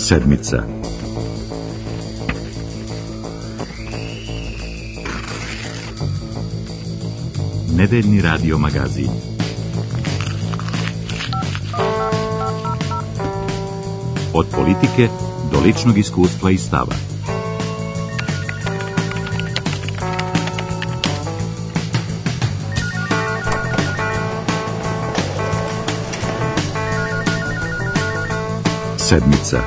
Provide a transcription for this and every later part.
Sedmica. Nedeljni radio magazin. Od politike do ličnog iskustva i stava. Sedmica.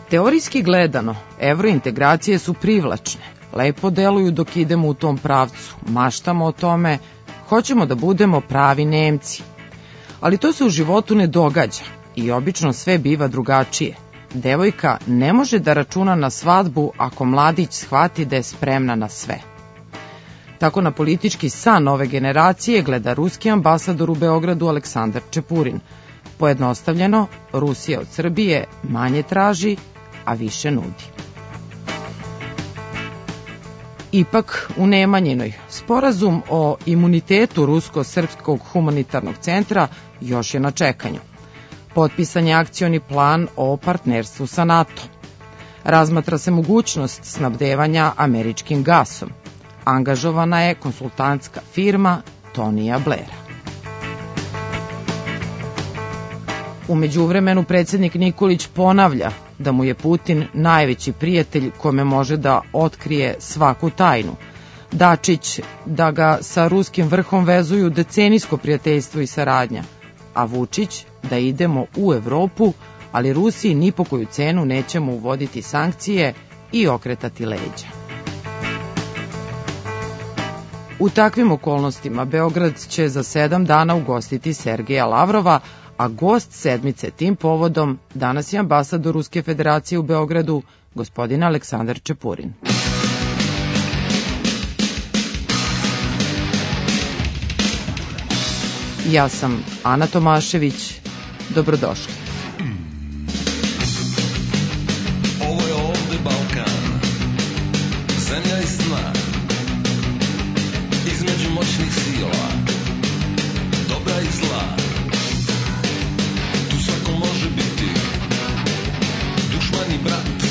Teorijski gledano, evrointegracije su privlačne, lepo deluju dok idemo u tom pravcu, maštamo o tome, hoćemo da budemo pravi Nemci. Ali to se u životu ne događa i obično sve biva drugačije. Devojka ne može da računa na svadbu ako mladić shvati da je spremna na sve. Tako na politički san ove generacije gleda ruski ambasador u Beogradu Aleksandar Čepurin. Pojednostavljeno, Rusija od Srbije manje traži, a više nudi. Ipak, u Nemanjinoj, sporazum o imunitetu Rusko-srpskog humanitarnog centra još je na čekanju. Potpisan je akcioni plan o partnerstvu sa NATO. Razmatra se mogućnost snabdevanja američkim gasom. Angažovana je konsultantska firma Tonija Blaira. U međuvremenu predsjednik Nikolić ponavlja da mu je Putin najveći prijatelj kome može da otkrije svaku tajnu. Dačić da ga sa ruskim vrhom vezuju decenijsko prijateljstvo i saradnja, a Vučić da idemo u Evropu, ali Rusiji ni po koju cenu nećemo uvoditi sankcije i okretati leđa. U takvim okolnostima Beograd će za 7 dana ugostiti Sergeja Lavrova, a gost sedmice tim povodom danas je ambasador Ruske federacije u Beogradu, gospodin Aleksandar Čepurin. Ja sam Ana Tomašević. Dobrodošli. Ovo je ovde Balkan, zemlja i sna, između moćnih sila, dobra i zla. Tu svako može biti dušman i brat,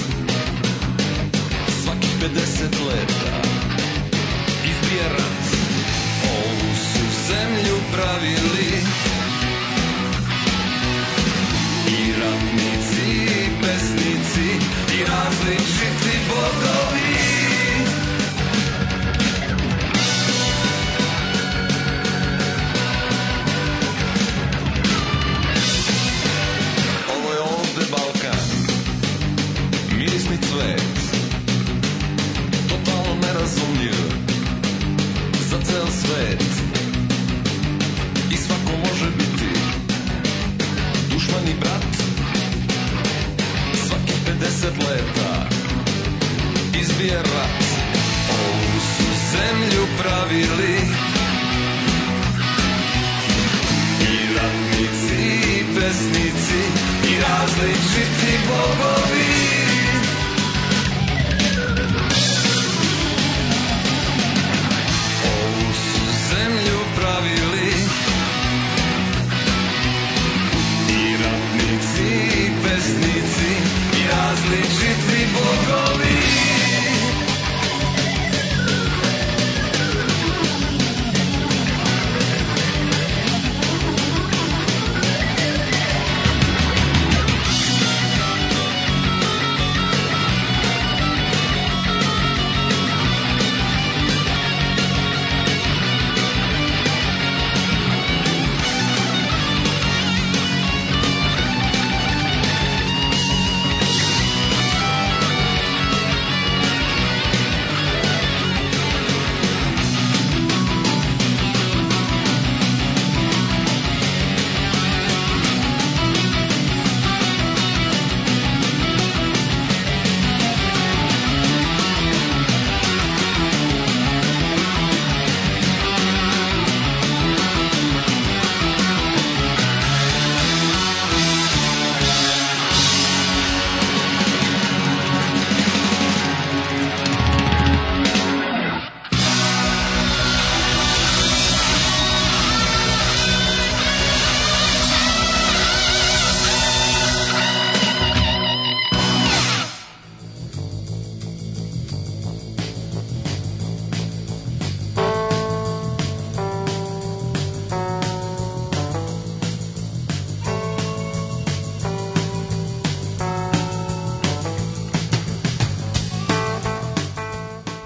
svakih 50 leta izbije rat. Ovu su zemlju pravili i ratnici, i pesnici, i različiti bogovi. Ovo je ovde Balkan, mirisni cvet, totalno nerazumljiv za cel svet. I svako može biti dušman i brat, svaki 50 leta izbije rat. Ovu su zemlju pravili i ratnici, i pesnici, i različiti bogovi. Ovu su zemlju pravili i ratnici, i pesnici, i različiti bogovi.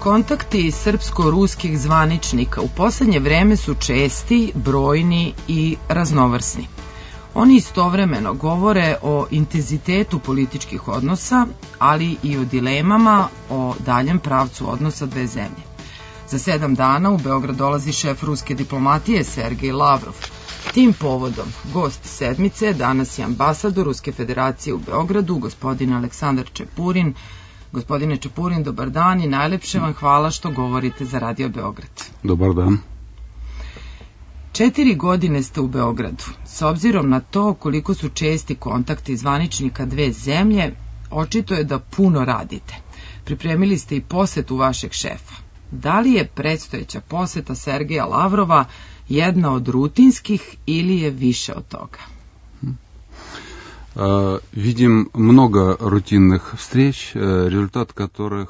Kontakti srpsko-ruskih zvaničnika u poslednje vreme su česti, brojni i raznovrsni. Oni istovremeno govore o intenzitetu političkih odnosa, ali i o dilemama o daljem pravcu odnosa dve zemlje. Za 7 dana u Beograd dolazi šef ruske diplomatije Sergej Lavrov. Tim povodom gost sedmice danas je ambasador Ruske federacije u Beogradu, gospodin Aleksandar Čepurin. Gospodine Čepurin, dobar dan i najlepše vam hvala što govorite za Radio Beograd. Dobar dan. 4 godine ste u Beogradu. S obzirom na to koliko su česti kontakti zvaničnika dve zemlje, očito je da puno radite. Pripremili ste i posetu vašeg šefa. Da li je predstojeća poseta Sergeja Lavrova jedna od rutinskih ili je više od toga? Vidim mnogo rutinnih vstreč, rezultat которых...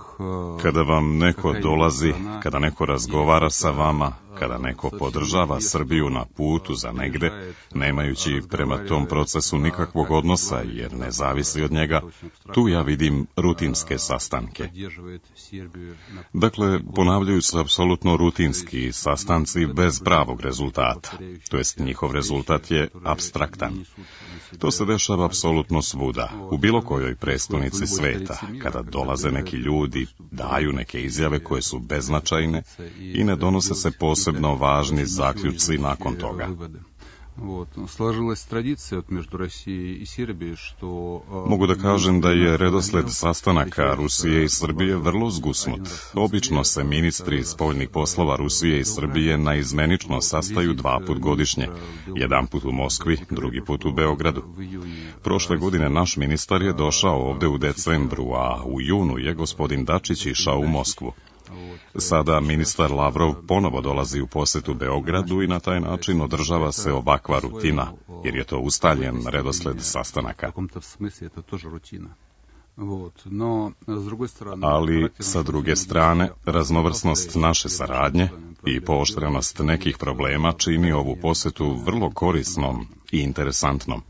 Kada vam neko dolazi, kada neko razgovara sa vama, kada neko podržava Srbiju na putu za negde, nemajući prema tom procesu nikakvog odnosa jer ne zavisi od njega, tu ja vidim rutinske sastanke. Dakle, ponavljaju se apsolutno rutinski sastanci bez pravog rezultata, to jest njihov rezultat je apstraktan. To se dešava apsolutno svuda, u bilo kojoj prestonici sveta, kada dolaze neki ljudi, daju neke izjave koje su beznačajne i ne donose se posebno važni zaključci nakon toga. Mogu da kažem da je redosled sastanaka Rusije i Srbije vrlo zgusnut. Obično se ministri spoljnih poslova Rusije i Srbije naizmenično sastaju 2 put godišnje, jedan put u Moskvi, drugi put u Beogradu. Prošle godine naš ministar je došao ovde u decembru, a u junu je gospodin Dačić išao u Moskvu. Sada ministar Lavrov ponovo dolazi u posetu Beogradu i na taj način održava se ovakva rutina, jer je to ustaljen redosled sastanaka. Ali, sa druge strane, raznovrsnost naše saradnje i pooštrenost nekih problema čini ovu posetu vrlo korisnom i interesantnom.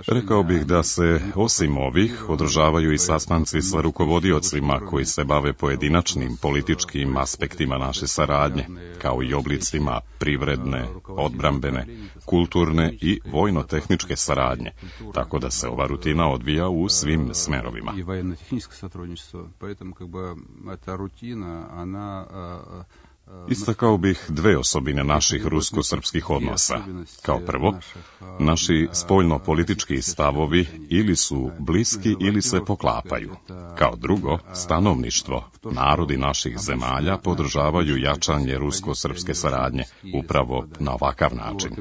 Rekao bih da se, osim ovih, održavaju i sastanci sa rukovodiocima koji se bave pojedinačnim političkim aspektima naše saradnje, kao i oblicima privredne, odbrambene, kulturne i vojno-tehničke saradnje, tako da se ova rutina odvija u svim smerovima. Istakao bih 2 osobine naših rusko-srpskih odnosa. Kao prvo, naši spoljno-politički stavovi ili su bliski ili se poklapaju. Kao drugo, stanovništvo, narodi naših zemalja podržavaju jačanje rusko-srpske saradnje upravo na ovakav način.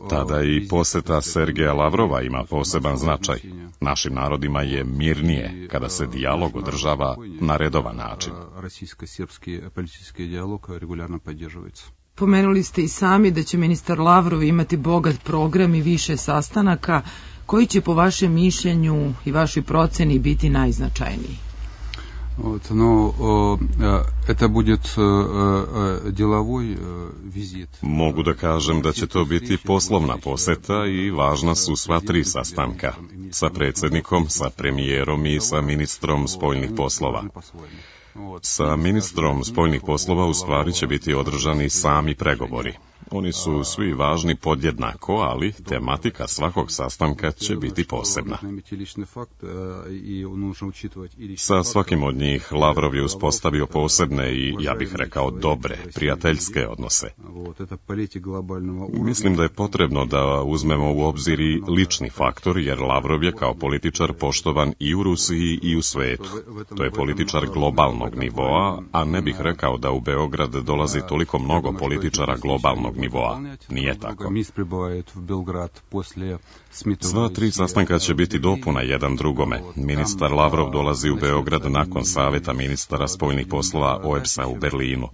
Tada i poseta Sergeja Lavrova ima poseban značaj. Našim narodima je mirnije kada se dijalog održava na redovan način. Pomenuli ste i sami da će ministar Lavrov imati bogat program i više sastanaka. Koji će po vašem mišljenju i vašoj proceni biti najznačajniji? Mogu da kažem da će to biti poslovna poseta i važna su sva 3 sastanka. Sa predsjednikom, sa premijerom i sa ministrom spoljnih poslova. Sa ministrom spoljnih poslova u stvari će biti održani sami pregovori. Oni su svi važni podjednako, ali tematika svakog sastanka će biti posebna. Sa svakim od njih Lavrov je uspostavio posebne i, ja bih rekao, dobre, prijateljske odnose. Mislim da je potrebno da uzmemo u obzir i lični faktor, jer Lavrov je kao političar poštovan i u Rusiji i u svetu. To je političar globalnog nivoa, a ne bih rekao da u Beograd dolazi toliko mnogo političara globalnog nivoa. Nije tako. Sva 3 sastanka će biti dopuna jedan drugome. Ministar Lavrov dolazi u Beograd nakon saveta ministara spoljnih poslova OEBS-a u Berlinu.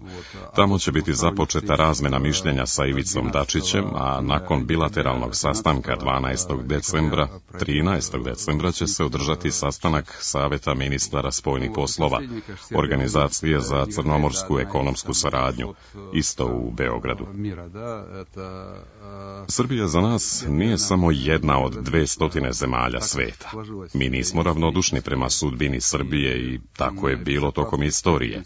Tamo će biti započeta razmena mišljenja sa Ivicom Dačićem, a nakon bilateralnog sastanka 12. decembra, 13. decembra će se održati sastanak saveta ministara spoljnih poslova, Organizacije za crnomorsku ekonomsku saradnju, isto u Beogradu. Srbija za nas nije samo jedna od 200 zemalja sveta. Mi nismo ravnodušni prema sudbini Srbije i tako je bilo tokom istorije.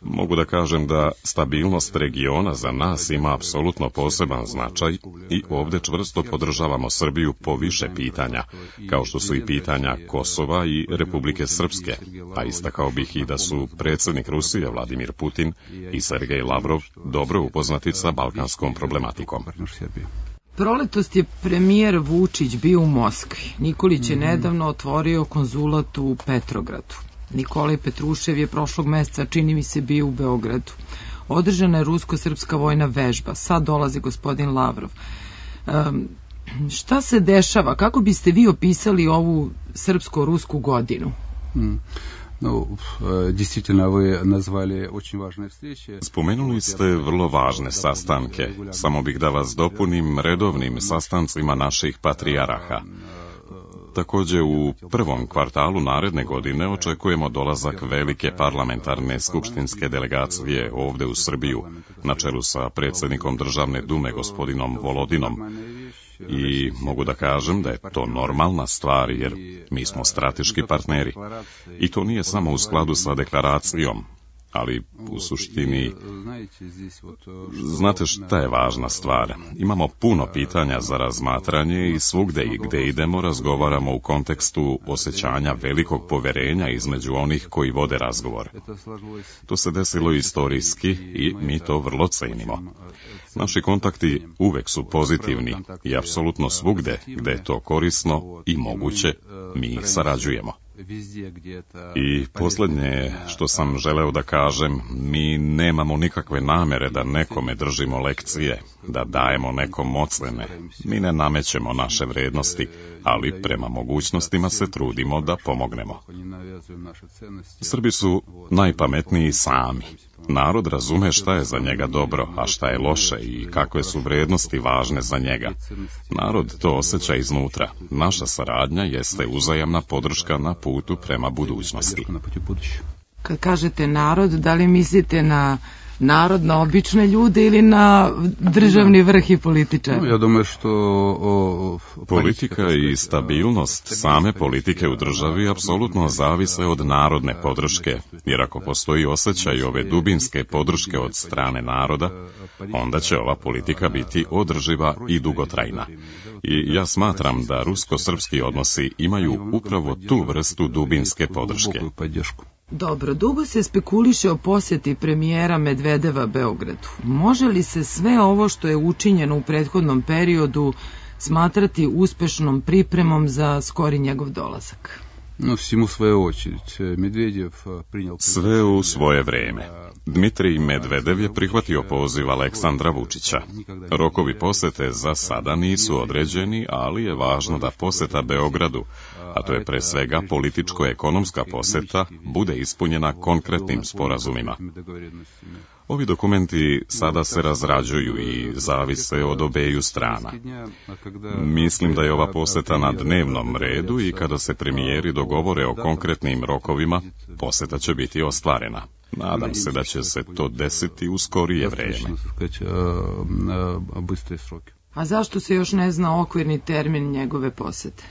Mogu da kažem da stabilnost regiona za nas ima apsolutno poseban značaj i ovdje čvrsto podržavamo Srbiju po više pitanja, kao što su i pitanja Kosova i Republike Srpske, a istakao bih i da su predsjednik Rusije Vladimir Putin i Sergej Lavrov dobro upoznati sa balkanskom problematikom. Proletos je premijer Vučić bio u Moskvi. Nikolić je nedavno otvorio konzulat u Petrogradu. Nikolaj Petrušev je prošlog meseca, čini mi se, bio u Beogradu. Održana je rusko-srpska vojna vežba. Sad dolazi gospodin Lavrov. Šta se dešava? Kako biste vi opisali ovu srpsko-rusku godinu? Spomenuli ste vrlo važne sastanke. Samo bih da vas dopunim redovnim sastancima naših patrijaraha. Također u prvom kvartalu naredne godine očekujemo dolazak velike parlamentarne skupštinske delegacije ovdje u Srbiju, na čelu sa predsjednikom Državne dume gospodinom Volodinom. I mogu da kažem da je to normalna stvar jer mi smo strateški partneri. I to nije samo u skladu sa deklaracijom, ali u suštini, znate šta je važna stvar? Imamo puno pitanja za razmatranje i svugde i gde idemo razgovaramo u kontekstu osjećanja velikog poverenja između onih koji vode razgovor. To se desilo istorijski i mi to vrlo cenimo. Naši kontakti uvek su pozitivni i apsolutno svugde gde je to korisno i moguće, mi sarađujemo. I posljednje što sam želeo da kažem, mi nemamo nikakve namere da nekome držimo lekcije, da dajemo nekom ocene. Mi ne namećemo naše vrednosti, ali prema mogućnostima se trudimo da pomognemo. Srbi su najpametniji sami. Narod razume šta je za njega dobro, a šta je loše i kakve su vrednosti važne za njega. Narod to osjeća iznutra. Naša saradnja jeste uzajamna podrška na putu prema budućnosti. Kad kažete narod, da li mislite na narod, na obične ljude ili na državni vrh i političare? Ja думаю što politika i stabilnost same politike u državi apsolutno zavise od narodne podrške, jer ako postoji osjećaj ove dubinske podrške od strane naroda, onda će ova politika biti održiva i dugotrajna. I ja smatram da rusko-srpski odnosi imaju upravo tu vrstu dubinske podrške. Dobro, dugo se spekuliše o posjeti premijera Medvedeva Beogradu. Može li se sve ovo što je učinjeno u prethodnom periodu smatrati uspešnom pripremom za skori njegov dolazak? Sve u svoje vreme. Dmitrij Medvedev je prihvatio poziv Aleksandra Vučića. Rokovi posete za sada nisu određeni, ali je važno da poseta Beogradu, a to je pre svega političko-ekonomska poseta, bude ispunjena konkretnim sporazumima. Ovi dokumenti sada se razrađuju i zavise od obeju strana. Mislim da je ova poseta na dnevnom redu i kada se premijeri dogovore o konkretnim rokovima, poseta će biti ostvarena. Nadam se da će se to desiti u skorije vreme. A zašto se još ne zna okvirni termin njegove posete?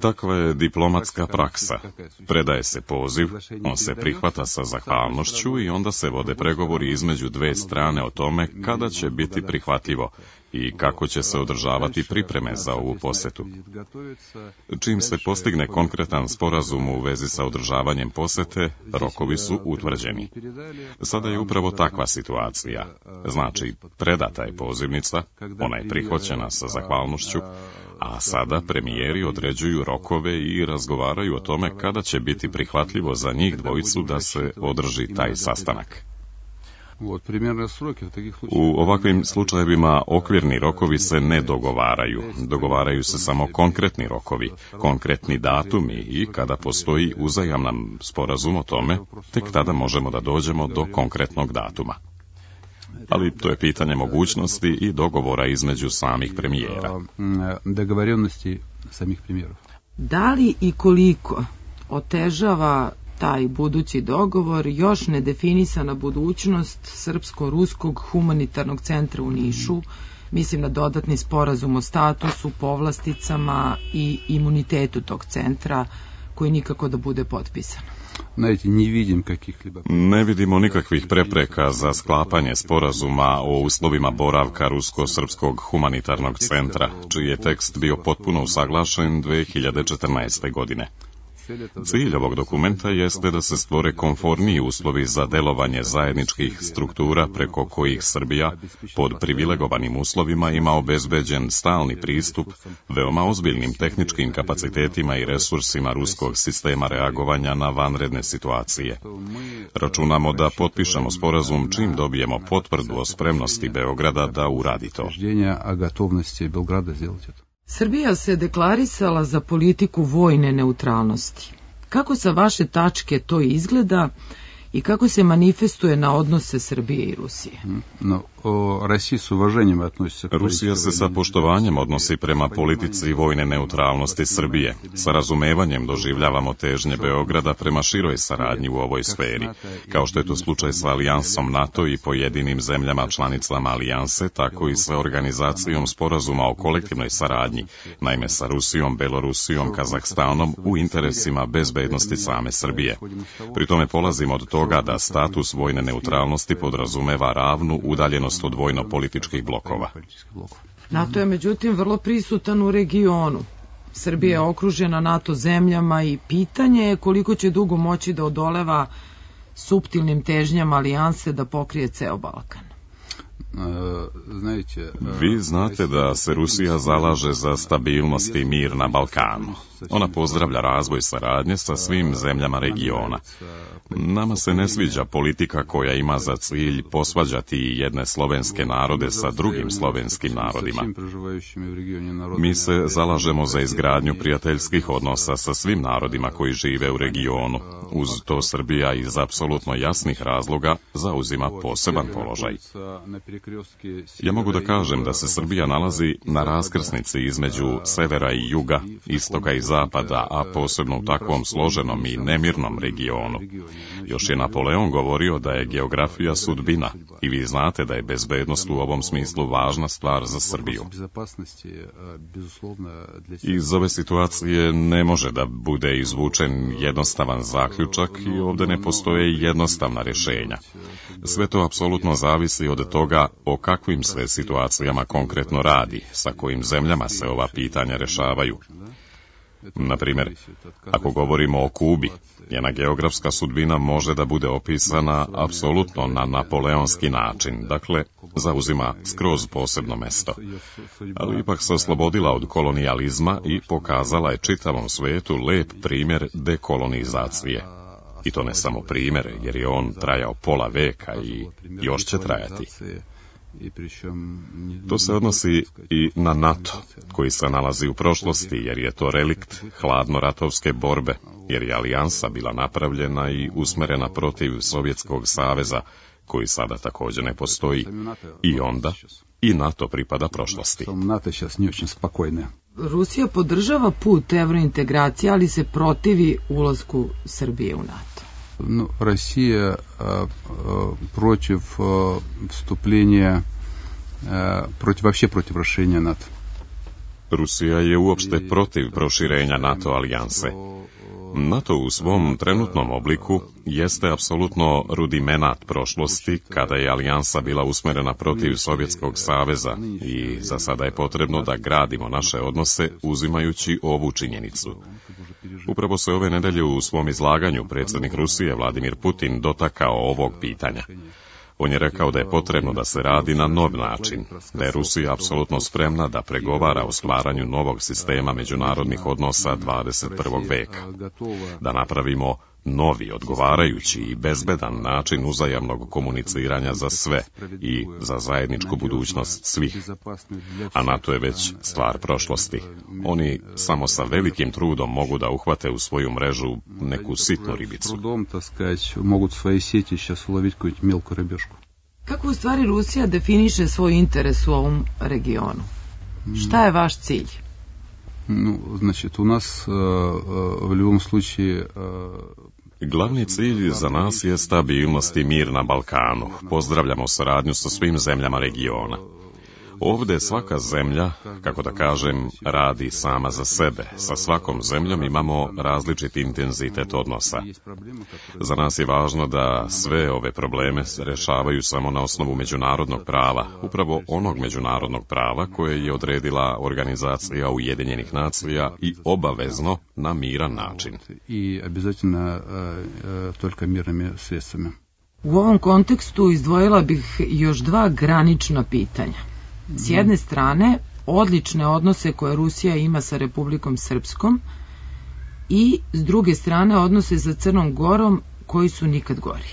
Takva je diplomatska praksa. Predaje se poziv, on se prihvata sa zahvalnošću i onda se vode pregovori između dve strane o tome kada će biti prihvatljivo i kako će se održavati pripreme za ovu posetu. Čim se postigne konkretan sporazum u vezi sa održavanjem posete, rokovi su utvrđeni. Sada je upravo takva situacija. Znači, predata je pozivnica, ona je prihvaćena sa zahvalnošću, a sada premijeri određuju rokove i razgovaraju o tome kada će biti prihvatljivo za njih dvojicu da se održi taj sastanak. U ovakvim slučajevima okvirni rokovi se ne dogovaraju. Dogovaraju se samo konkretni rokovi, konkretni datumi i kada postoji uzajaman sporazum o tome, tek tada možemo da dođemo do konkretnog datuma. Ali to je pitanje mogućnosti i dogovora između samih premijera. Da li i koliko otežava taj budući dogovor još nedefinisana budućnost Srpsko-ruskog humanitarnog centra u Nišu, mislim na dodatni sporazum o statusu, povlasticama i imunitetu tog centra, koji nikako da bude potpisan. Ne vidimo nikakvih prepreka za sklapanje sporazuma o uslovima boravka Rusko-srpskog humanitarnog centra, čiji je tekst bio potpuno usaglašen 2014. godine. Cilj ovog dokumenta jeste da se stvore komforniji uslovi za delovanje zajedničkih struktura preko kojih Srbija pod privilegovanim uslovima ima obezbeđen stalni pristup veoma ozbiljnim tehničkim kapacitetima i resursima ruskog sistema reagovanja na vanredne situacije. Računamo da potpišemo sporazum čim dobijemo potvrdu o spremnosti Beograda da uradi to. Srbija se deklarisala za politiku vojne neutralnosti. Kako sa vaše tačke to izgleda i kako se manifestuje na odnose Srbije i Rusije? Rusija se sa poštovanjem odnosi prema politici vojne neutralnosti Srbije. Sa razumevanjem doživljavamo težnje Beograda prema široj saradnji u ovoj sferi, kao što je to slučaj sa alijansom NATO i pojedinim zemljama članicama alijanse, tako i sa organizacijom sporazuma o kolektivnoj saradnji, naime sa Rusijom, Belorusijom, Kazahstanom u interesima bezbednosti same Srbije. Pri tome polazimo od toga da status vojne neutralnosti podrazumeva ravnu udaljenost od vojno-političkih blokova. NATO je međutim vrlo prisutan u regionu. Srbija je okružena NATO zemljama i pitanje je koliko će dugo moći da odoleva suptilnim težnjama alijanse da pokrije ceo Balkan. Vi znate da se Rusija zalaže za stabilnost i mir na Balkanu. Ona pozdravlja razvoj saradnje sa svim zemljama regiona. Nama se ne sviđa politika koja ima za cilj posvađati jedne slovenske narode sa drugim slovenskim narodima. Mi se zalažemo za izgradnju prijateljskih odnosa sa svim narodima koji žive u regionu. Uz to Srbija iz apsolutno jasnih razloga zauzima poseban položaj. Ja mogu da kažem da se Srbija nalazi na raskrsnici između severa i juga, istoka i zapada, a posebno u takvom složenom i nemirnom regionu. Još je Napoleon govorio da je geografija sudbina i vi znate da je bezbednost u ovom smislu važna stvar za Srbiju. Iz ove situacije ne može da bude izvučen jednostavan zaključak i ovde ne postoje jednostavna rješenja. Sve to apsolutno zavisi od toga o kakvim se situacijama konkretno radi, sa kojim zemljama se ova pitanja rešavaju. Naprimjer, ako govorimo o Kubi, njena geografska sudbina može da bude opisana apsolutno na napoleonski način, dakle, zauzima skroz posebno mesto. Ali ipak se oslobodila od kolonijalizma i pokazala je čitavom svetu lep primjer dekolonizacije. I to ne samo primjer, jer je on trajao pola veka i još će trajati. To se odnosi i na NATO, koji se nalazi u prošlosti, jer je to relikt hladnoratovske borbe, jer je alijansa bila napravljena i usmerena protiv Sovjetskog saveza, koji sada također ne postoji, i onda i NATO pripada prošlosti. Rusija podržava put evrointegracije, ali se protivi ulasku Srbije u NATO. Россия против вступления, против расширения НАТО. Rusija je uopšte protiv proširenja NATO alijanse. NATO u svom trenutnom obliku jeste apsolutno rudimenat prošlosti kada je alijansa bila usmerena protiv Sovjetskog saveza i za sada je potrebno da gradimo naše odnose uzimajući ovu činjenicu. Upravo se ove nedelje u svom izlaganju predsjednik Rusije Vladimir Putin dotakao ovog pitanja. On je rekao da je potrebno da se radi na nov način, da je Rusija apsolutno spremna da pregovara o stvaranju novog sistema međunarodnih odnosa 21. veka, da napravimo novi, odgovarajući i bezbedan način uzajamnog komuniciranja za sve i za zajedničku budućnost svih. A NATO je već stvar prošlosti. Oni samo sa velikim trudom mogu da uhvate u svoju mrežu neku sitnu ribicu. Kako u stvari Rusija definiše svoj interes u ovom regionu? Šta je vaš cilj? Ну, значит, у нас в любом случае Glavni cilj za nas je stabilnost i mir na Balkanu. Pozdravljamo saradnju sa svim zemljama regiona. Ovdje svaka zemlja, kako da kažem, radi sama za sebe. Sa svakom zemljom imamo različit intenzitet odnosa. Za nas je važno da sve ove probleme se rešavaju samo na osnovu međunarodnog prava, upravo onog međunarodnog prava koje je odredila Organizacija Ujedinjenih nacija i obavezno na miran način. I обязательно только мирными средствами. U ovom kontekstu izdvojila bih još dva granična pitanja. S jedne strane, odlične odnose koje Rusija ima sa Republikom Srpskom i s druge strane odnose sa Crnom Gorom koji su nikad gori.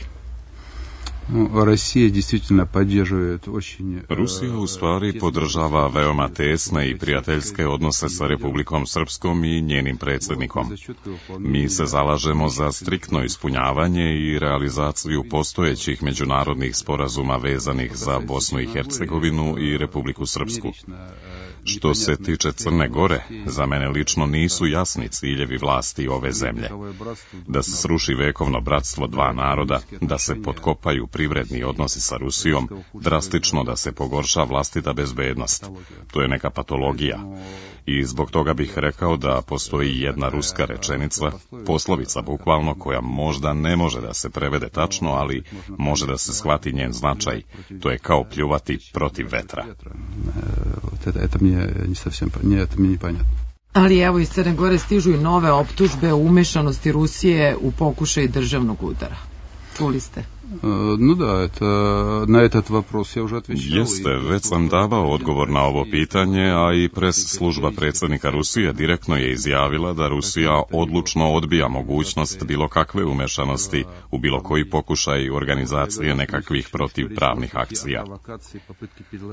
Rusija u stvari podržava veoma tesne i prijateljske odnose sa Republikom Srpskom i njenim predsjednikom. Mi se zalažemo za striktno ispunjavanje i realizaciju postojećih međunarodnih sporazuma vezanih za Bosnu i Hercegovinu i Republiku Srpsku. Što se tiče Crne Gore, za mene lično nisu jasni ciljevi vlasti ove zemlje. Da se sruši vekovno bratstvo dva naroda, da se potkopaju privredni odnosi sa Rusijom, drastično da se pogorša vlastita bezbednost. To je neka patologija. I zbog toga bih rekao da postoji jedna ruska rečenica, poslovica bukvalno, koja možda ne može da se prevede tačno, ali može da se shvati njen značaj. To je kao pljuvati protiv vetra. Ali evo iz Crne Gore stižu i nove optužbe o umešanosti Rusije u pokušaj državnog udara. Čuli ste? Ну да, на этот вопрос я уже отвечал. Jeste, već sam davao odgovor na ovo pitanje, a i pres služba predsjednika Rusije direktno je izjavila da Rusija odlučno odbija mogućnost bilo kakve umešanosti u bilo koji pokušaj organizacije nekakvih protivpravnih akcija.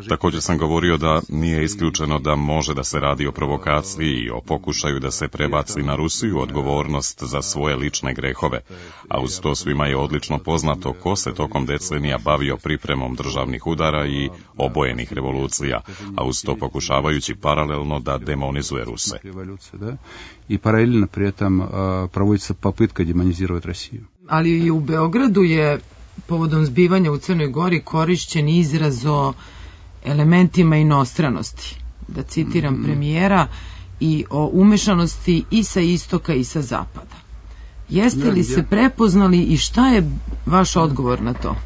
Također sam govorio da nije isključeno da može da se radi o provokaciji i o pokušaju da se prebaci na Rusiju odgovornost za svoje lične grehove, a uz to svima je odlično poznato ko se tokom decenija bavio pripremom državnih udara i obojenih revolucija, a uz to pokušavajući paralelno da demonizuje Ruse. I paralelno pri этом проводится попытка демонизировать Россию. Ali i u Beogradu je povodom zbivanja u Crnoj Gori korišćen izraz o elementima inostranosti. Da citiram premijera, i o umešanosti i sa istoka i sa zapada. Jeste li se prepoznali i šta je vaš odgovor na to?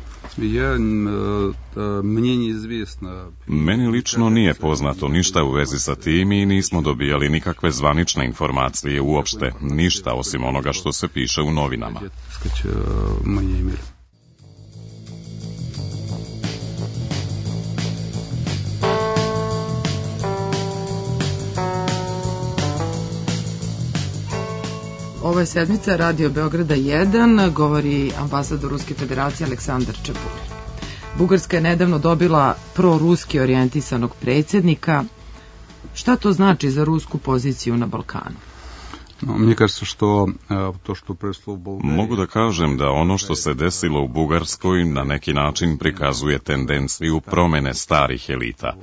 Meni lično nije poznato ništa u vezi sa tim i nismo dobijali nikakve zvanične informacije uopšte, ništa osim onoga što se piše u novinama. Ovo je sedmica Radio Beograda 1, govori ambasador Ruske federacije Aleksandar Čeburin. Bugarska je nedavno dobila proruski orijentisanog predsjednika. Šta to znači za rusku poziciju na Balkanu? Mogu da kažem da ono što se desilo u Bugarskoj na neki način prikazuje tendenciju promene starih elita.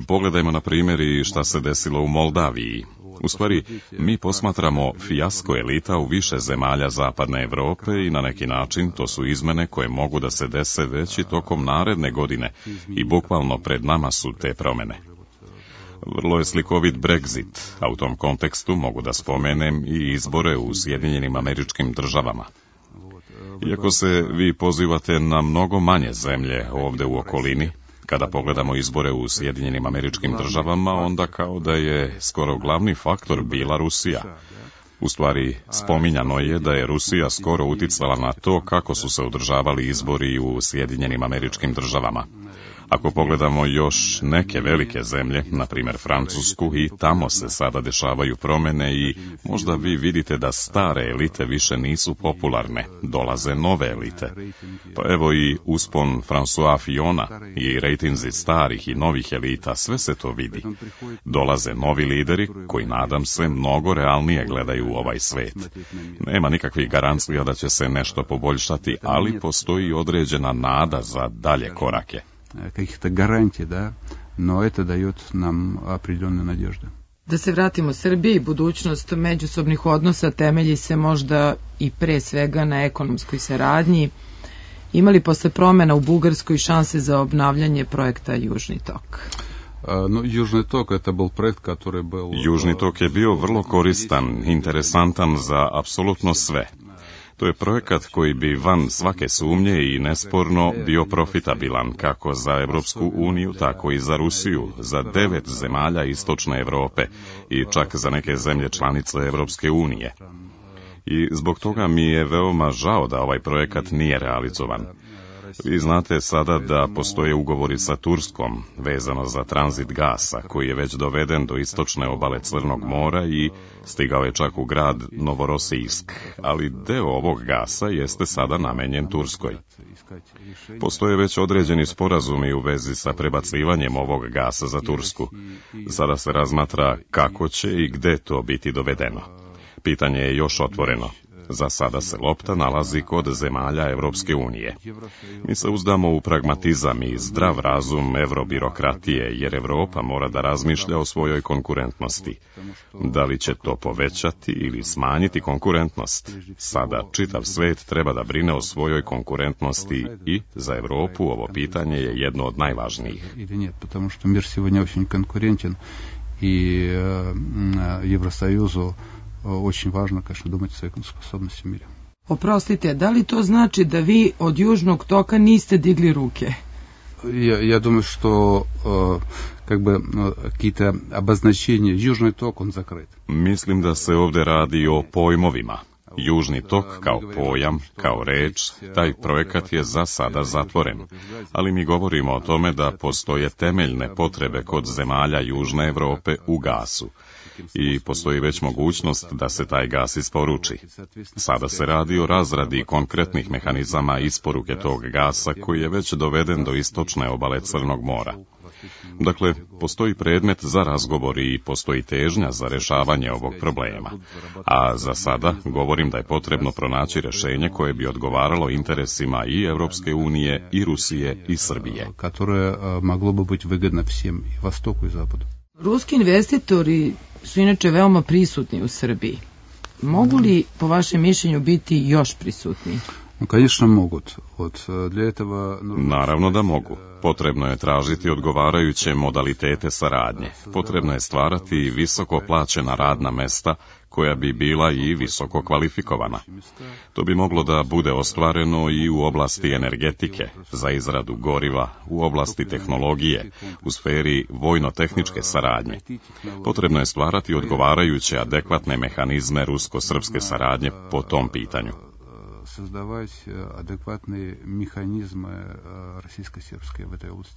Pogledajmo na primjer i šta se desilo u Moldaviji. U stvari, mi posmatramo fijasko elita u više zemalja zapadne Evrope i na neki način to su izmene koje mogu da se dese već i tokom naredne godine i bukvalno pred nama su te promene. Vrlo je slikovit Brexit, a u tom kontekstu mogu da spomenem i izbore u Sjedinjenim Američkim Državama. Iako se vi pozivate na mnogo manje zemlje ovde u okolini, kada pogledamo izbore u Sjedinjenim Američkim Državama, onda kao da je skoro glavni faktor bila Rusija. U stvari, spominjano je da je Rusija skoro uticala na to kako su se održavali izbori u Sjedinjenim Američkim Državama. Ako pogledamo još neke velike zemlje, na primjer Francusku, i tamo se sada dešavaju promene i možda vi vidite da stare elite više nisu popularne, dolaze nove elite. Pa evo i uspon François Fillona i rejtinzi starih i novih elita, sve se to vidi. Dolaze novi lideri koji, nadam se, mnogo realnije gledaju u ovaj svet. Nema nikakvih garancija da će se nešto poboljšati, ali postoji određena nada za dalje korake. Каких-то гарантий, да, но это дает нам определенную надежду. Da se vratimo Srbiji, budućnost međusobnih odnosa temelji se možda i pre svega na ekonomskoj saradnji. Imali posle promjena u Bugarskoj šanse za obnavljanje projekta Južni tok? Južni tok je bio vrlo koristan, interesantan za apsolutno sve. To je projekat koji bi van svake sumnje i nesporno bio profitabilan kako za Evropsku uniju, tako i za Rusiju, za 9 zemalja istočne Evrope i čak za neke zemlje članice Evropske unije. I zbog toga mi je veoma žao da ovaj projekat nije realizovan. Vi znate sada da postoje ugovori sa Turskom vezano za tranzit gasa, koji je već doveden do istočne obale Crnog mora i stigao je čak u grad Novorosijsk, ali deo ovog gasa jeste sada namenjen Turskoj. Postoje već određeni sporazumi u vezi sa prebacivanjem ovog gasa za Tursku. Sada se razmatra kako će i gde to biti dovedeno. Pitanje je još otvoreno. Za sada se lopta nalazi kod zemalja Evropske unije. Mi se uzdamo u pragmatizam i zdrav razum evrobirokratije, jer Evropa mora da razmišlja o svojoj konkurentnosti. Da li će to povećati ili smanjiti konkurentnost? Sada čitav svet treba da brine o svojoj konkurentnosti i za Evropu ovo pitanje je jedno od najvažnijih. Потому что мир сегодня очень конкурентен и Евросоюзу очень важно, конечно, думать о своей способности в мире. Oprostite, da li to znači da vi od Južnog toka niste digli ruke? Я думаю, что как бы какие-то обозначения. Южный ток, он закрыт. Mislim da se ovde radi o pojmovima. Južni tok kao pojam, kao reč, taj projekat je za sada zatvoren. Ali mi govorimo o tome da postoje temeljne potrebe kod zemalja Južne Evrope u gasu. I postoji već mogućnost da se taj gas isporuči. Sada se radi o razradi konkretnih mehanizama isporuke tog gasa koji je već doveden do istočne obale Crnog mora. Dakle, postoji predmet za razgovor i postoji težnja za rešavanje ovog problema. A za sada govorim da je potrebno pronaći rešenje koje bi odgovaralo interesima i Evropske unije, i Rusije, i Srbije. Koje moglo bi biti vygodno svim, i Vostoku, i Zapadu. Ruski investitori su inače veoma prisutni u Srbiji. Mogu li, po vašem mišljenju, biti još prisutni? Конечно, могут. Naravno da mogu. Potrebno je tražiti odgovarajuće modalitete saradnje. Potrebno je stvarati visoko plaćena radna mesta koja bi bila i visoko kvalifikovana. To bi moglo da bude ostvareno i u oblasti energetike, za izradu goriva, u oblasti tehnologije, u sferi vojno-tehničke saradnje. Potrebno je stvarati odgovarajuće adekvatne mehanizme rusko-srpske saradnje po tom pitanju.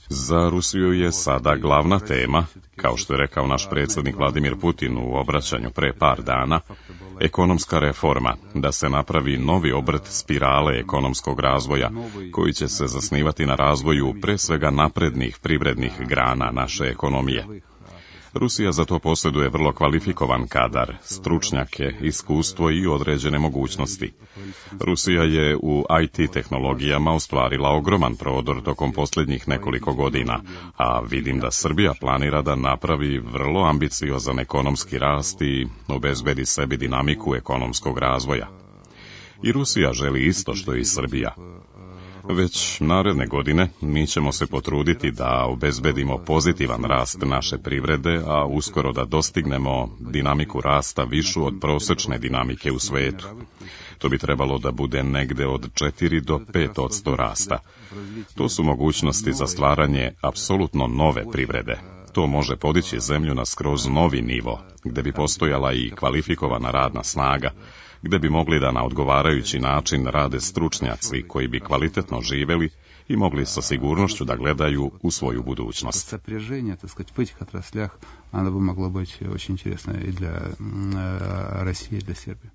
Za Rusiju je sada glavna tema, kao što je rekao naš predsjednik Vladimir Putin u obraćanju pre par dana, ekonomska reforma, da se napravi novi obrt spirale ekonomskog razvoja, koji će se zasnivati na razvoju pre svega naprednih privrednih grana naše ekonomije. Rusija za to posjeduje vrlo kvalifikovan kadar, stručnjake, iskustvo i određene mogućnosti. Rusija je u IT tehnologijama ostvarila ogroman prodor tokom posljednjih nekoliko godina, a vidim da Srbija planira da napravi vrlo ambiciozan ekonomski rast i obezbedi sebi dinamiku ekonomskog razvoja. I Rusija želi isto što i Srbija. Već naredne godine mi ćemo se potruditi da obezbedimo pozitivan rast naše privrede, a uskoro da dostignemo dinamiku rasta višu od prosečne dinamike u svetu. To bi trebalo da bude negde od 4 do 5% rasta. To su mogućnosti za stvaranje apsolutno nove privrede. To može podići zemlju na skroz novi nivo, gde bi postojala i kvalifikovana radna snaga, gde bi mogli da na odgovarajući način rade stručnjaci koji bi kvalitetno živeli i mogli sa sigurnošću da gledaju u svoju budućnost. Сопряжение, так сказать, в этих отраслях, оно бы могло быть очень интересно и для России, и для Сербии.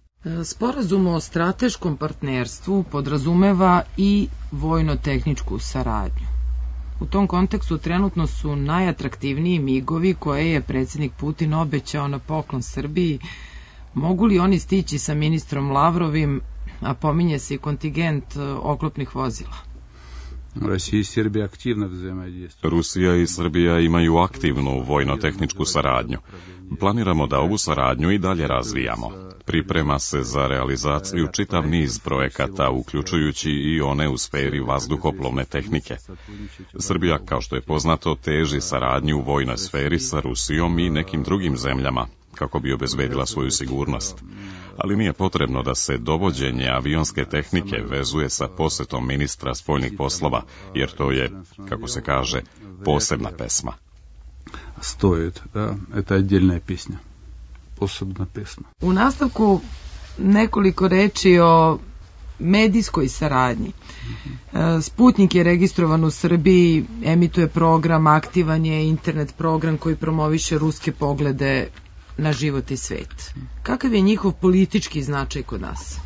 Sporazum o strateškom partnerstvu podrazumeva i vojno-tehničku saradnju. U tom kontekstu trenutno su najatraktivniji migovi koje je predsjednik Putin obećao na poklon Srbiji. Mogu li oni stići sa ministrom Lavrovim, a pominje se i kontingent oklopnih vozila? Rusija i Srbija imaju aktivnu vojno-tehničku saradnju. Planiramo da ovu saradnju i dalje razvijamo. Priprema se za realizaciju čitav niz projekata, uključujući i one u sferi vazduhoplovne tehnike. Srbija, kao što je poznato, teži saradnju u vojnoj sferi sa Rusijom i nekim drugim zemljama, kako bi obezbedila svoju sigurnost. Ali nije potrebno da se dovođenje avionske tehnike vezuje sa posetom ministra spoljnih poslova, jer to je, kako se kaže, posebna pesma. Stoji, da, to je odjeljna pesma. Posebna pesma. U nastavku nekoliko reči o medijskoj saradnji. Sputnik je registrovan u Srbiji, emituje program, aktivan je internet program koji promoviše ruske poglede na život i svet. Kakav je njihov politički značaj kod nas?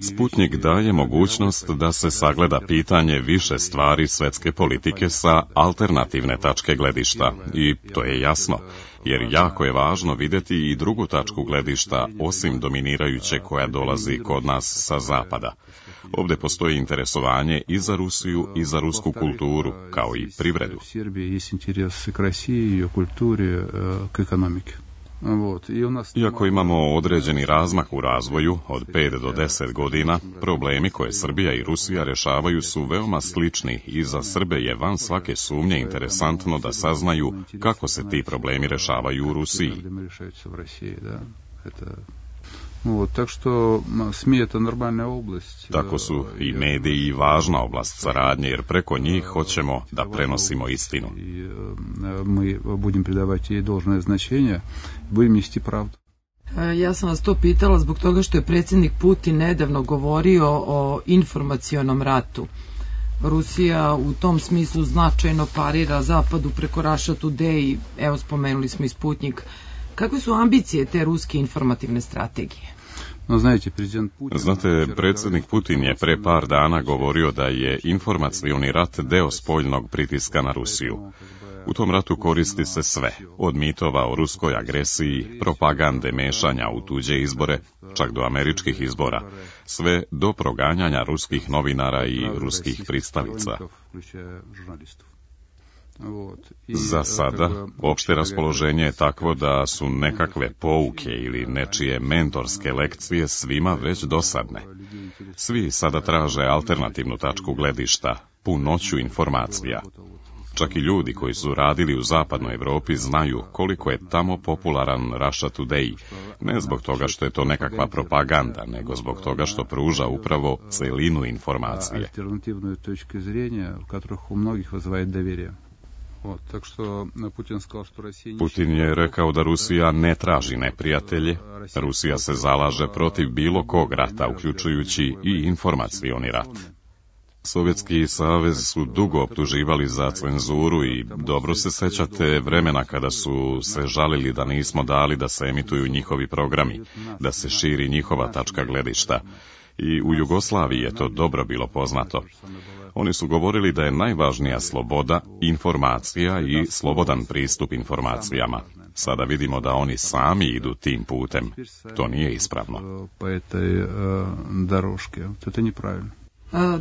Sputnik daje mogućnost da se sagleda pitanje više stvari svetske politike sa alternativne tačke gledišta. I to je jasno, jer jako je važno videti i drugu tačku gledišta, osim dominirajuće koja dolazi kod nas sa zapada. Ovde postoji interesovanje i za Rusiju i za rusku kulturu, kao i privredu. Iako imamo određeni razmak u razvoju od 5 do 10 godina, problemi koje Srbija i Rusija rešavaju su veoma slični i za Srbe je van svake sumnje interesantno da saznaju kako se ti problemi rešavaju u Rusiji. Tako su i mediji važna oblast saradnje, jer preko njih hoćemo da prenosimo istinu. Ja sam vas to pitala zbog toga što je predsjednik Putin nedavno govorio o informacionom ratu. Rusija u tom smislu značajno parira Zapadu preko Russia Today, evo spomenuli smo i Sputnik. Kakve su ambicije te ruske informativne strategije? Znate, predsjednik Putin je pre par dana govorio da je informacioni rat deo spoljnog pritiska na Rusiju. U tom ratu koristi se sve, od mitova o ruskoj agresiji, propagande mešanja u tuđe izbore, čak do američkih izbora, sve do proganjanja ruskih novinara i ruskih pristalica. Za sada, opšte raspoloženje je takvo da su nekakve pouke ili nečije mentorske lekcije svima već dosadne. Svi sada traže alternativnu tačku gledišta, punoću informacija. Čak i ljudi koji su radili u zapadnoj Evropi znaju koliko je tamo popularan Russia Today, ne zbog toga što je to nekakva propaganda, nego zbog toga što pruža upravo celinu informacije. Putin je rekao da Rusija ne traži neprijatelje, Rusija se zalaže protiv bilo kog rata, uključujući i informacioni rat. Sovjetski savez su dugo optuživali za cenzuru i dobro se sećate vremena kada su se žalili da nismo dali da se emituju njihovi programi, da se širi njihova tačka gledišta. I u Jugoslaviji je to dobro bilo poznato. Oni su govorili da je najvažnija sloboda, informacija i slobodan pristup informacijama. Sada vidimo da oni sami idu tim putem. To nije ispravno.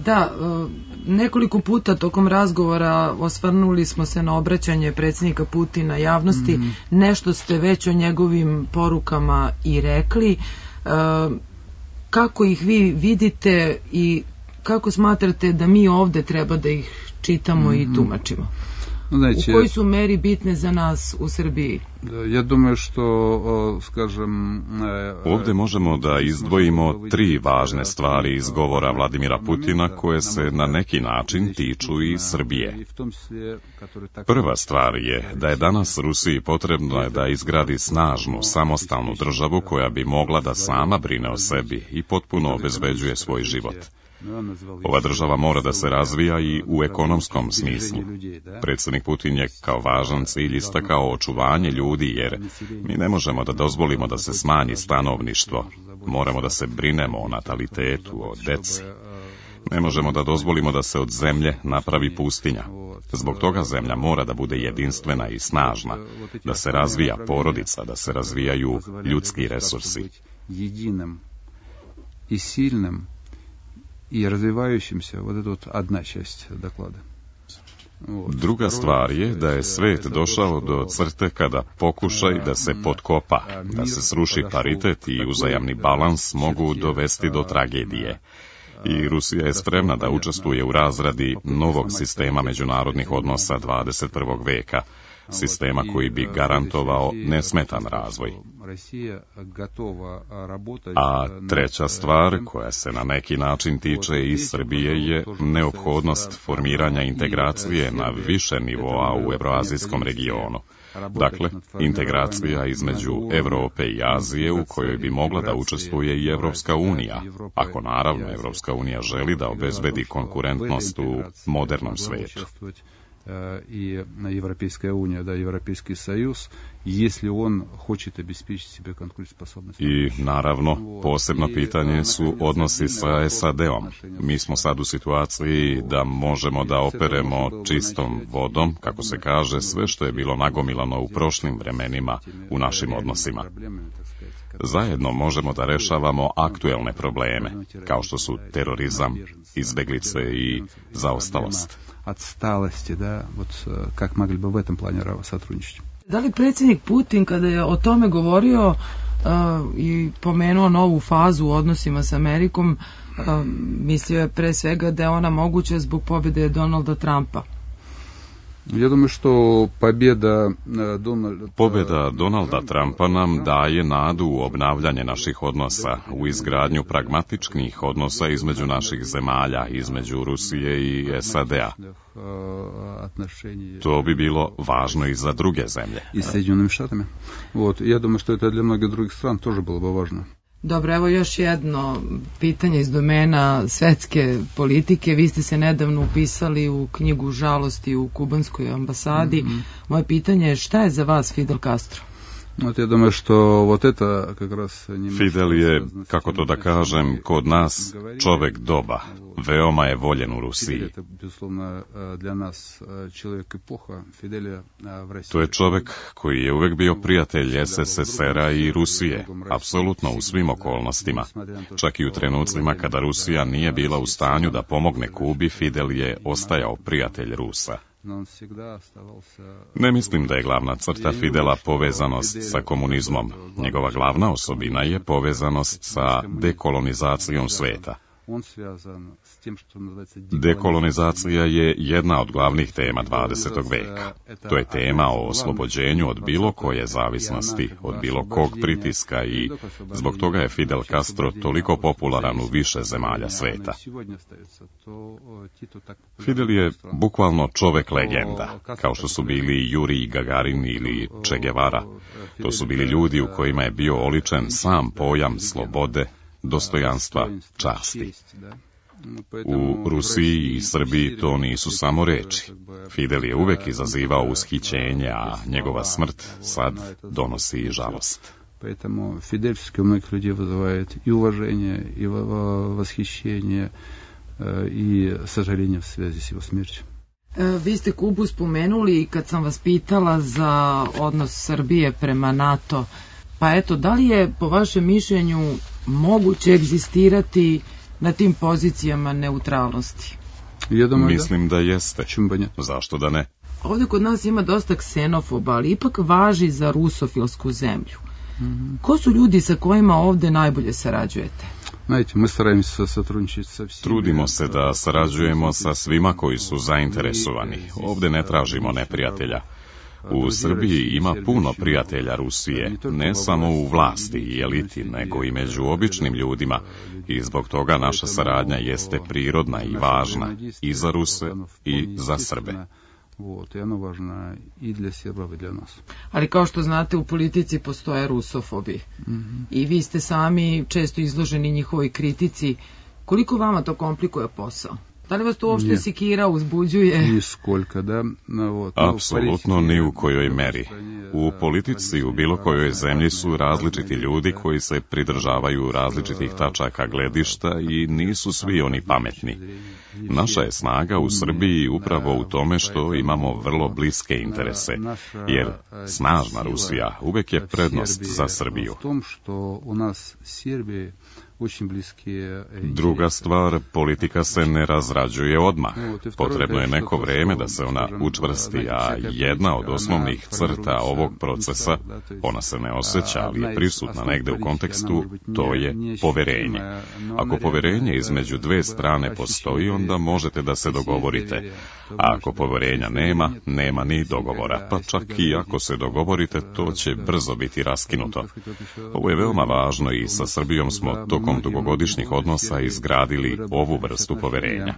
Da, nekoliko puta tokom razgovora osvrnuli smo se na obraćanje predsjednika Putina javnosti. Nešto ste već o njegovim porukama i rekli. Kako ih vi vidite i kako smatrate da mi ovde treba da ih čitamo i tumačimo? U kojoj su meri bitne za nas u Srbiji? Ovde možemo da izdvojimo 3 važne stvari iz govora Vladimira Putina koje se na neki način tiču i Srbije. Prva stvar je da je danas Rusiji potrebno da izgradi snažnu, samostalnu državu koja bi mogla da sama brine o sebi i potpuno obezbeđuje svoj život. Ova država mora da se razvija i u ekonomskom smislu. Predsjednik Putin je kao važan cilj istakao očuvanje ljudi, jer mi ne možemo da dozvolimo da se smanji stanovništvo. Moramo da se brinemo o natalitetu, o deci. Ne možemo da dozvolimo da se od zemlje napravi pustinja. Zbog toga zemlja mora da bude jedinstvena i snažna, da se razvija porodica, da se razvijaju ljudski resursi. и развивающимся, вот это вот одна часть доклада. Druga stvar je da je svet došao do crte kada pokušaj da se potkopa, da se sruši paritet i uzajamni balans mogu dovesti do tragedije. I Rusija je spremna da učestvuje u razradi novog sistema međunarodnih odnosa 21. veka, sistema koji bi garantovao nesmetan razvoj. A treća stvar, koja se na neki način tiče i Srbije, je neophodnost formiranja integracije na više nivoa u evroazijskom regionu. Dakle, integracija između Evrope i Azije u kojoj bi mogla da učestvuje i Evropska unija, ako naravno Evropska unija želi da obezbedi konkurentnost u modernom svetu. И Европейская уния, да, Европейский союз, если он хочет обеспечить себе конкурентоспособность. I naravno, posebno pitanje su odnosi sa SAD-om. Mi smo sad u situaciji da možemo da operemo čistom vodom, kako se kaže, sve što je bilo nagomilano u prošlim vremenima u našim odnosima. Zajedno možemo da rešavamo aktuelne probleme, kao što su terorizam, izbeglice i zaostalost. Отсталости, да, вот как могли бы в этом плане сотрудничать. Da li predsjednik Putin, kada je o tome govorio i pomenuo novu fazu u odnosima s Amerikom, mislio je pre svega da je ona moguća zbog pobjede Donalda Trumpa? Ja думаю, što pobjeda Donalda Trumpa nam daje nadu u obnavljanje naših odnosa, u izgradnju pragmatičnih odnosa između naših zemalja, između Rusije i SAD-a. To bi bilo važno i za druge zemlje. I Sjedinjenim štatama. Вот, я думаю, что это для многих других стран тоже было бы важно. Dobro, evo još jedno pitanje iz domena svetske politike. Vi ste se nedavno upisali u knjigu Žalosti u kubanskoj ambasadi. Moje pitanje je šta je za vas Fidel Castro? Fidel je, kako to da kažem, kod nas čovek doba. Veoma je voljen u Rusiji. To je čovek koji je uvek bio prijatelj SSSR-a i Rusije, apsolutno u svim okolnostima. Čak i u trenucima kada Rusija nije bila u stanju da pomogne Kubi, Fidel je ostajao prijatelj Rusa. Ne mislim da je glavna crta Fidela povezanost sa komunizmom. Njegova glavna osobina je povezanost sa dekolonizacijom sveta. Dekolonizacija je jedna od glavnih tema 20. veka. To je tema o oslobođenju od bilo koje zavisnosti, od bilo kog pritiska i zbog toga je Fidel Castro toliko popularan u više zemalja sveta. Fidel je bukvalno čovek legenda, kao što su bili Jurij Gagarin ili Che Guevara. To su bili ljudi u kojima je bio oličen sam pojam slobode, dostojanstva, časti. U Rusiji i Srbiji to nisu samo reči. Fidel je uvek izazivao ushićenje, a njegova smrt sad donosi i žalost. Поэтому Фидель у многих людей вызывает и уважение, и восхищение, и сожаление в связи с его смертью. Vi ste Kubu spomenuli i kad sam vas pitala za odnos Srbije prema NATO, pa eto, da li je po vašem mišljenju moguće egzistirati na tim pozicijama neutralnosti? Mislim da jeste. Zašto da ne? Ovdje kod nas ima dosta ksenofoba, ali ipak važi za rusofilsku zemlju. Ko su ljudi sa kojima ovdje najbolje sarađujete? Trudimo se da sarađujemo sa svima koji su zainteresovani. Ovdje ne tražimo neprijatelja. U Srbiji ima puno prijatelja Rusije, ne samo u vlasti i eliti, nego i među običnim ljudima i zbog toga naša saradnja jeste prirodna i važna i za Ruse i za Srbe. Ali kao što znate, u politici postoje rusofobi i vi ste sami često izloženi njihovoj kritici. Koliko vama to komplikuje posao? Da li vas to uopšte sikira, uzbuđuje? Apsolutno ni u kojoj meri. U politici u bilo kojoj zemlji su različiti ljudi koji se pridržavaju različitih tačaka gledišta i nisu svi oni pametni. Naša je snaga u Srbiji upravo u tome što imamo vrlo bliske interese, jer snažna Rusija uvek je prednost za Srbiju. Druga stvar, politika se ne razrađuje odmah. Potrebno je neko vreme da se ona učvrsti, a jedna od osnovnih crta ovog procesa, ona se ne osjeća, ali je prisutna negde u kontekstu, to je poverenje. Ako poverenje između dve strane postoji, onda možete da se dogovorite. A ako poverenja nema, nema ni dogovora. Pa čak i ako se dogovorite, to će brzo biti raskinuto. Ovo je veoma važno i sa Srbijom smo tokom dugogodišnjih odnosa izgradili ovu vrstu poverenja.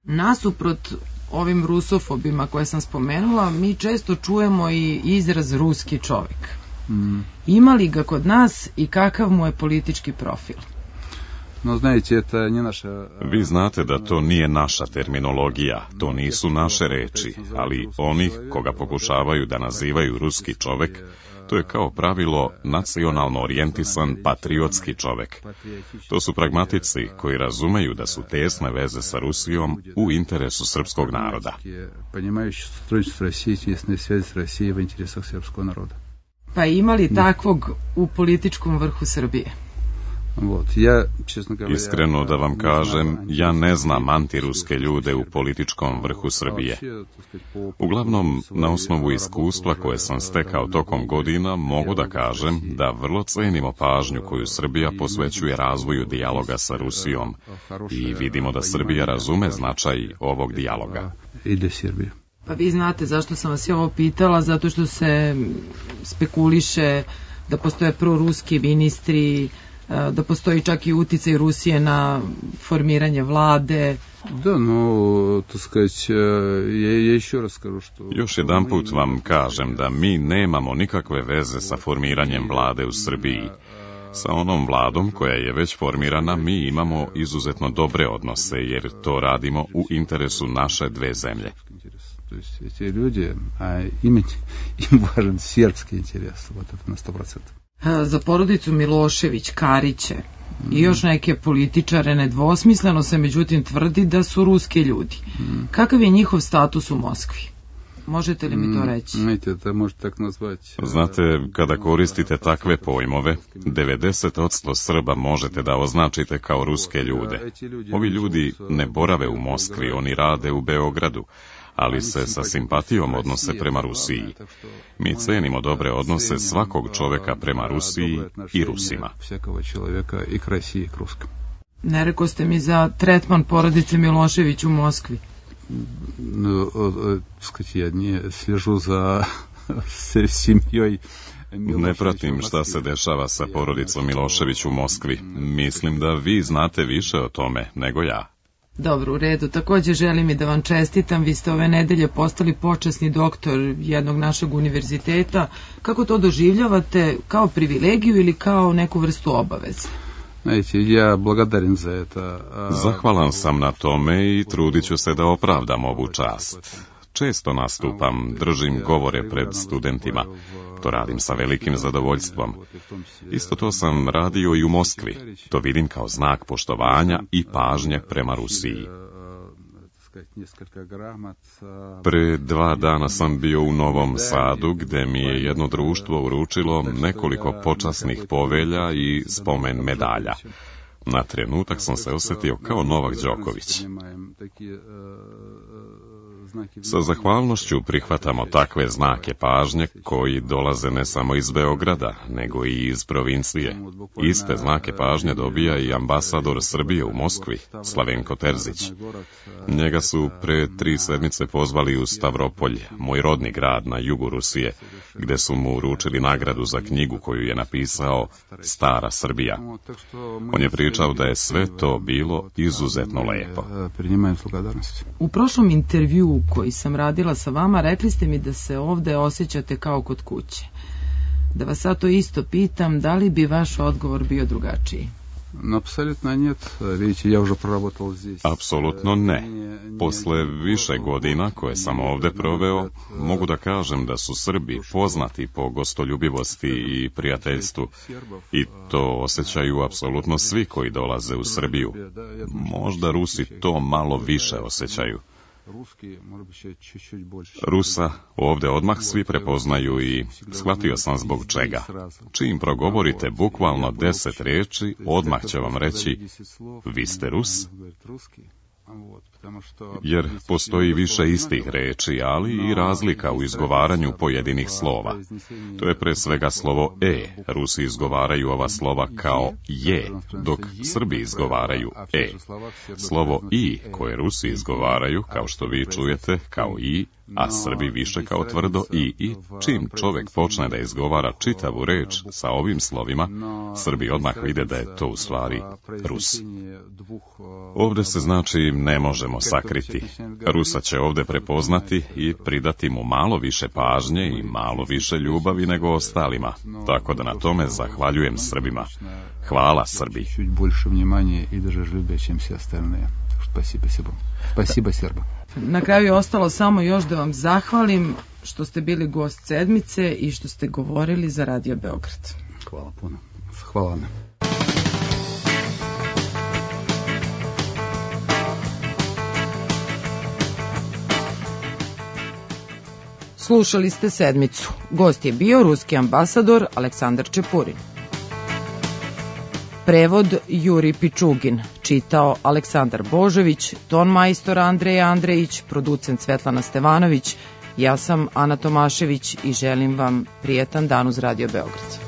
Nasuprot ovim rusofobima koje sam spomenula, mi često čujemo i izraz ruski čovjek. Ima li ga kod nas i kakav mu je politički profil? Vi znate da to nije naša terminologija, to nisu naše reči, ali oni koga pokušavaju da nazivaju ruski čovek, to je kao pravilo nacionalno orijentisan patriotski čovek. To su pragmatici koji razumeju da su tesne veze sa Rusijom u interesu srpskog naroda. Pa ima li takvog u političkom vrhu Srbije? Iskreno da vam kažem, ja ne znam antiruske ljude u političkom vrhu Srbije. Uglavnom, na osnovu iskustva koje sam stekao tokom godina, mogu da kažem da vrlo cenimo pažnju koju Srbija posvećuje razvoju dijaloga sa Rusijom i vidimo da Srbija razume značaj ovog dijaloga. Pa vi znate zašto sam vas ovo pitala, zato što se spekuliše da postoje proruski ministri, da postoji čak i uticaj Rusije na formiranje vlade. Još jedan put vam kažem da mi nemamo nikakve veze sa formiranjem vlade u Srbiji. Sa onom vladom koja je već formirana mi imamo izuzetno dobre odnose, jer to radimo u interesu naše dve zemlje. Эти люди, им важен сербский интерес, вот это на 100%. Za porodicu Milošević, Kariće i još neke političare nedvosmisleno se međutim tvrdi da su ruski ljudi. Kakav je njihov status u Moskvi? Možete li mi to reći? Znate, kada koristite takve pojmove, 90% Srba možete da označite kao ruske ljude. Ovi ljudi ne borave u Moskvi, oni rade u Beogradu, ali se sa simpatijom odnose prema Rusiji. Mi cenimo dobre odnose svakog čoveka prema Rusiji i Rusima. Ne rekao ste mi za tretman porodice Milošević u Moskvi. Ja ne sližu za семьей. Ne pratim šta se dešava sa porodicom Milošević u Moskvi. Mislim da vi znate više o tome nego ja. Dobro, u redu. Također želim i da vam čestitam. Vi ste ove nedelje postali počasni doktor jednog našeg univerziteta. Kako to doživljavate? Kao privilegiju ili kao neku vrstu obaveze? Ja благодарен za это. Zahvalan sam na tome i trudit ću se da opravdam ovu čast. Često nastupam, držim govore pred studentima. To radim sa velikim zadovoljstvom. Isto to sam radio i u Moskvi. To vidim kao znak poštovanja i pažnje prema Rusiji. Pre 2 dana sam bio u Novom Sadu, gde mi je jedno društvo uručilo nekoliko počasnih povelja i spomen medalja. Na trenutak sam se osjetio kao Novak Đoković. Sa zahvalnošću prihvatamo takve znake pažnje koji dolaze ne samo iz Beograda, nego i iz provincije. Iste znake pažnje dobija i ambasador Srbije u Moskvi, Slavenko Terzić. Njega su pre 3 sedmice pozvali u Stavropolj, moj rodni grad na jugu Rusije, gde su mu uručili nagradu za knjigu koju je napisao Stara Srbija. On je pričao da je sve to bilo izuzetno lepo. U prošlom intervjuu koji sam radila sa vama, rekli ste mi da se ovde osjećate kao kod kuće. Da vas sad to isto pitam, da li bi vaš odgovor bio drugačiji? Apsolutno нет. Vidite, ja уже prоработал здесь. Apsolutno ne. Posle više godina koje sam ovde proveo, mogu da kažem da su Srbi poznati po gostoljubivosti i prijateljstvu. I to osjećaju apsolutno svi koji dolaze u Srbiju. Možda Rusi to malo više osjećaju. Rusa ovde odmah svi prepoznaju i shvatio sam zbog čega. Čim progovorite bukvalno 10 reči, odmah će vam reći vi ste Rus. Jer postoji više istih reči, ali i razlika u izgovaranju pojedinih slova. To je pre svega slovo E. Rusi izgovaraju ova slova kao je, dok Srbi izgovaraju E. Slovo I, koje Rusi izgovaraju, kao što vi čujete, kao I, a Srbi više kao tvrdo I. Čim čovek počne da izgovara čitavu reč sa ovim slovima, Srbi odmah vide da je to u stvari Rus. Ovde se znači ne možemo sakriti. Rusa će ovde prepoznati i pridati mu malo više pažnje i malo više ljubavi nego ostalima. Tako da na tome zahvaljujem Srbima. Hvala Srbi. Спасибо, Сербо. Na kraju je ostalo samo još da vam zahvalim što ste bili gost sedmice i što ste govorili za Radio Beograd. Hvala puno. Hvala vam. Slušali ste sedmicu. Gost je bio ruski ambasador Aleksandar Čepurin. Prevod Juri Pičugin, čitao Aleksandar Božović, ton majstor Andreja Andrejić, producent Svetlana Stevanović, ja sam Ana Tomašević i želim vam prijetan dan uz Radio Beograd.